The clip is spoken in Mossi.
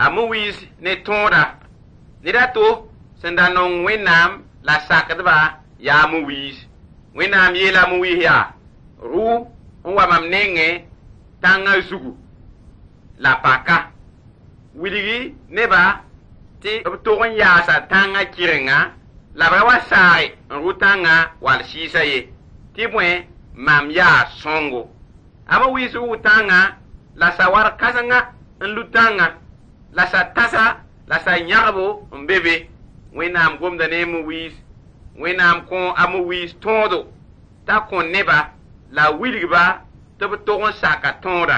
A Moyiis ne tõoda. Ned a to sẽn da nong Wẽnnaam la sakdba yaa a Moyiis. Wẽnnaam yeela a Moyiis yaa: Rʋ n wa mam nengẽ tãngã zugu la paka. Wilgi nebã tɩ b tog n yaasa tãngã kɩrenga la b ra wa saage n rʋ tãngã wall sɩɩsã ye, tɩ bõe, mam yaa sõngo. A Moyiis rʋʋ tãngã la sawar kãsenga n lu tãngã la sa-tãsa la sa-yãgbo n be be. Wẽnnaam gomda ne a Moyiis. Wẽnnaam kõ a Moyiis tõodo t'a kõ neba la wilgba tɩ b tog n saka tõoda.